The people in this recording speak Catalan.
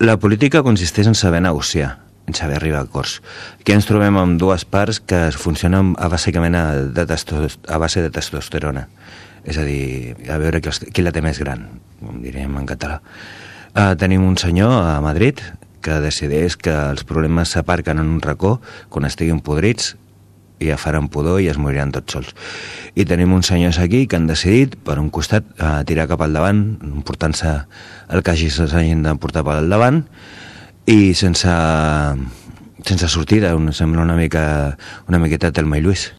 La política consisteix en saber negociar, en saber arribar a acords. Aquí ens trobem amb dues parts que funcionen bàsicament a base de testosterona. És a dir, a veure qui la té més gran, com diríem en català. Tenim un senyor a Madrid que decideix que els problemes s'aparquen en un racó quan estiguin podrits i ja faran pudor i es moriran tots sols. I tenim uns senyors aquí que han decidit, per un costat, tirar cap al davant, emportant-se el que s'hagin de portar per al davant, i sense sortida, sembla una miqueta Telma i Lluís.